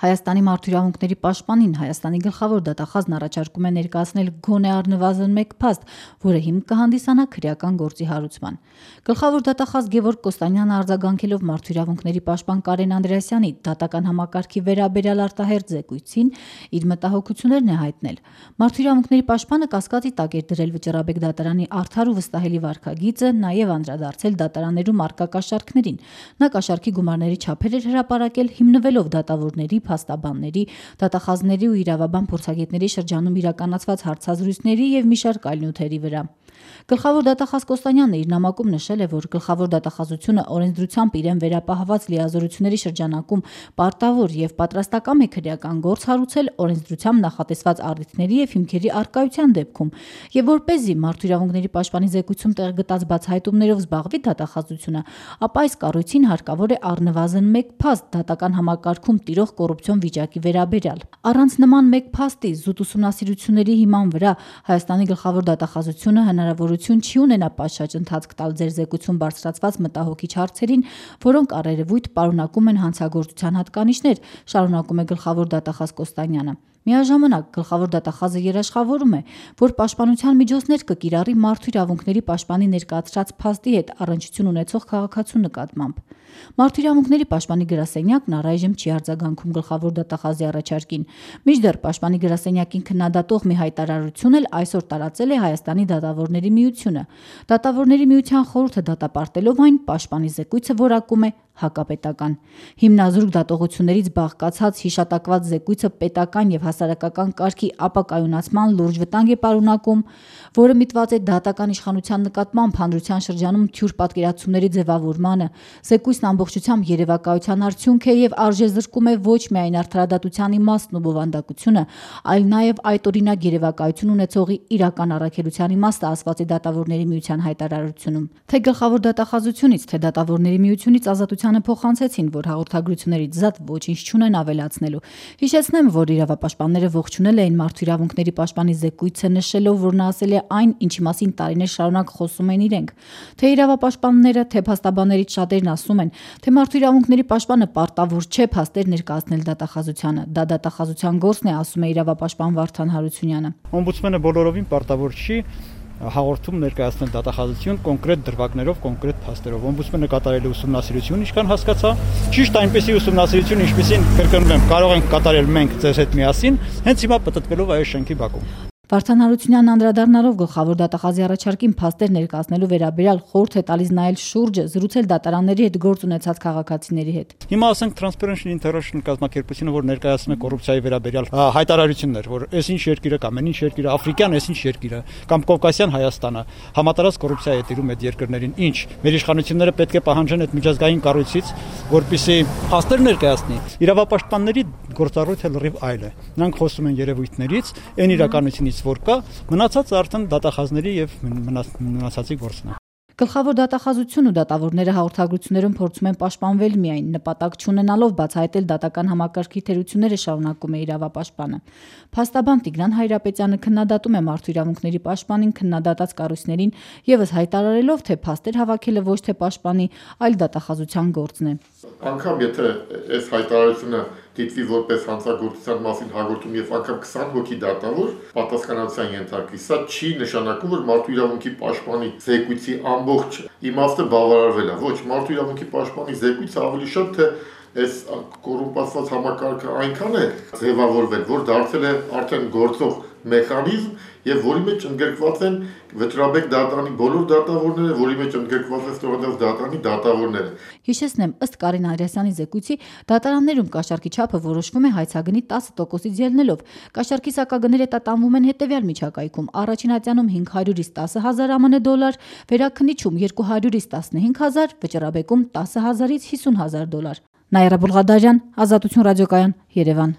Հայաստանի մարդու իրավունքների պաշտպանին Հայաստանի գլխավոր դատախազն առաջարկում է ներկայացնել գոնե առնվազն մեկ փաստ, որը հիմք կհանդիսանա քրեական գործի հարուցման։ Գլխավոր դատախազ Գևորգ Կոստանյանը արձագանքելով մարդու իրավունքների պաշտպան Կարեն Անդրեասյանի դատական համակարգի վերաբերյալ արտահերթ զեկույցին իր մտահոգություններն է հայտնել։ Մարդու իրավունքների պաշտպանը կասկածի տակ էր դրել Վճռաբեկ դատարանի արդար ու վստահելի վարքագիծը, նաև անդրադարձել դատարաններում առկա կաշառքներին։ Նա կաշառքի գումարների չափեր էր հրապարակել հիմնվելով դատավորների, փաստաբանների, դատախազների ու իրավաբան փորձագետների շրջանում իրականացված հարցազրույցների և մի շարք այլ նյութերի վրա։ Գլխավոր դատախազ Կոստանյանը իր նամակում նշել է, որ գլխավոր դատախազությունը օրենսդրությամբ իրեն վերապահված լիազորությունների շրջանակում պարտավոր և պատրաստակամ է քրեական գործ հարուցել օրենսդրությամբ նախատեսված առիթների և հիմքերի առկայության դեպքում, և որպեսզի մարդու իրավունքների պաշտպանի զեկույցում տեղ գտած բացահայտումներով զբաղվի դատախազությունը, ապա այս կառույցին հարկավոր է առնվազն մեկ փաստ դատական համակարգում տիրող կոռուպցիոն վիճակի վերաբերյալ։ Առանց նման մեկ փաստի զուտ ուսումնասիրությունների հիման վրա Հայաստանի գլխավոր դատախազությունը հնարավորություն չի ունենա պատշաճ ընթացք տալ ձեր զեկույցում բարձրացված մտահոգիչ հարցերին, որոնք առերևույթ պարունակում են հանցագործության հատկանիշներ, շարունակում է գլխավոր դատախազ Կոստանյանը։ Միաժամանակ գլխավոր դատախազը երաշխավորում է, որ պաշտպանության միջոցներ կկիրառի մարդու իրավունքների պաշտպանի ներկայացրած փաստի հետ առնչություն ունեցող քաղաքացու նկատմամբ։ Մարդու իրավունքների պաշտպանի գրասենյակն առայժմ չի արձագանքում գլխավոր դատախազի առաջարկին։ Մինչդեռ պաշտպանի գրասենյակին քննադատող մի հայտարարություն էլ այսօր տարածել է Հայաստանի դատավորների միությունը։ Դատավորների միության խորհուրդը դատապարտելով այն, պաշտպանի զեկույցը որակում է հակապետական։ Հիմնազուրկ դատողություններից բաղկացած հիշատակված զեկույցը պետական և հասարակական կարգի ապակայունացման լուրջ վտանգ է պարունակում, որը միտված է դատական իշխանության նկատմամբ հանրության շրջանում թյուր պատկերացումների ձևավորմանը։ Զեկույցն ամբողջությամբ երևակայության արդյունք է և արժեզրկում է ոչ միայն արդարադատության իմաստն ու բովանդակությունը, այլ նաև այդօրինակ երևակայություն ունեցողի իրական առաքելության իմաստը, ասված է դատավորների միության հայտարարությունում։ Թե գլխավոր դատախազությունից, թե դատավորների միությունից ազատությանը փոխանցեցին, որ հաղորդագրություններից զատ ոչինչ չունեն ավելացնելու։ Հիշեցնեմ, որ իրավապաշտպանները ողջունել էին մարդու իրավունքների պաշտպանի զեկույցը, նշելով, որ նա ասել է այն, ինչի մասին տարիներ շարունակ խոսում են իրենք։ Թե իրավապաշտպանները, թե փաստաբաններից շատերն ասում են, թե մարդու իրավունքների պաշտպանը պարտավոր չէ փաստեր ներկայացնել դատախազությանը։ Դա դատախազության գործն է, ասում է իրավապաշտպան Վարդան Հարությունյանը։ Օմբուդսմենը բոլորովին պարտավոր չի հաղորդում ներկայացնել դատախազություն կոնկրետ դրվագներով, կոնկրետ փաստերով։ Օմբուդսմենը կատարել է ուսումնասիրություն, ինչքան հասկացա, ճիշտ այնպեսի ուսումնասիրություն, ինչպեսին կրկնում եմ, կարող ենք կատարել մենք ձեզ հետ միասին, հենց հիմա պտտվելով այս շենքի բակում։ Վարդան Հարությունյանն անդրադառնալով գլխավոր դատախազի առաջարկին փաստեր ներկայացնելու վերաբերյալ խորհուրդ է տալիս նայել շուրջը, զրուցել դատարանների հետ գործ ունեցած քաղաքացիների հետ։ Հիմա ասենք Transparency International կազմակերպությունը, որ ներկայացնում է կոռուպցիայի վերաբերյալ հայտարարություններ, որ այսինչ երկիրը կամ այնինչ երկիրը, աֆրիկյան այսինչ երկիրը կամ Կովկասյան Հայաստանը համատարած կոռուպցիա է տիրում այդ երկրներին, ինչ մեր իշխանությունները պետք է պահանջեն այդ միջազգային կառույցից, որպեսզի փաստեր ներկայացնի։ Իրավապաշտպանների գործառույթը լրիվ այլ է։ Նրանք խոսում են երևույթներից, այն իրականությունից, որ կա, մնացածը արդեն դատախազների եւ մնացածի գործն է։ Գլխավոր դատախազությունն ու դատավորները հաղորդագրություններում փորձում են պաշտպանվել միայն, նպատակ չունենալով բացահայտել դատական համակարգի թերությունները, շարունակում է իրավապաշտպանը։ Փաստաբան Տիգրան Հայրապետյանը քննադատում է մարդու իրավունքների պաշտպանին քննադատած կառույցներին եւս հայտարարելով, թե փաստեր հավաքելը ոչ թե պաշտպանի, այլ դատախազության գործն է։ Անկամ եթե այս հայտարարությունը դիտվի որպես հանցագործության մասին հաղորդում եւ անգամ 20 հոգի դատավոր պատասխանատվության ենթարկվի, սա չի նշանակում, որ մարդու իրավունքի պաշտպանի զեկույցի ամբողջ իմաստը բավարարվել է։ Ոչ, մարդու իրավունքի պաշտպանի զեկույցը ավելի շատ թե այս կոռումպացված համակարգը այնքան է ձևավորվել, որ դարձել է արդեն գործող մեխանիզմ եւ որի մեջ ընդգրկված են Վճռաբեկ դատարանի բոլոր դատավորները, որի մեջ ընդգրկված է Ստորադաց դատարանի դատավորները։ Հիշեցնեմ, ըստ Կարեն Անդրեասյանի զեկույցի, դատարաններում կաշառքի չափը որոշվում է հայցագնի 10%-ից ելնելով։ Կաշառքի սակագները տատանվում են հետևյալ միջակայքում. առաջին ատյանում 500-ից 10,000 ԱՄՆ դոլար, վերաքննիչում 200-ից 15,000, Վճռաբեկում 10,000-ից 50,000 դոլար։ Նաիրա Բուլղադարյան, Ազատություն ռադիոկայան, Երևան։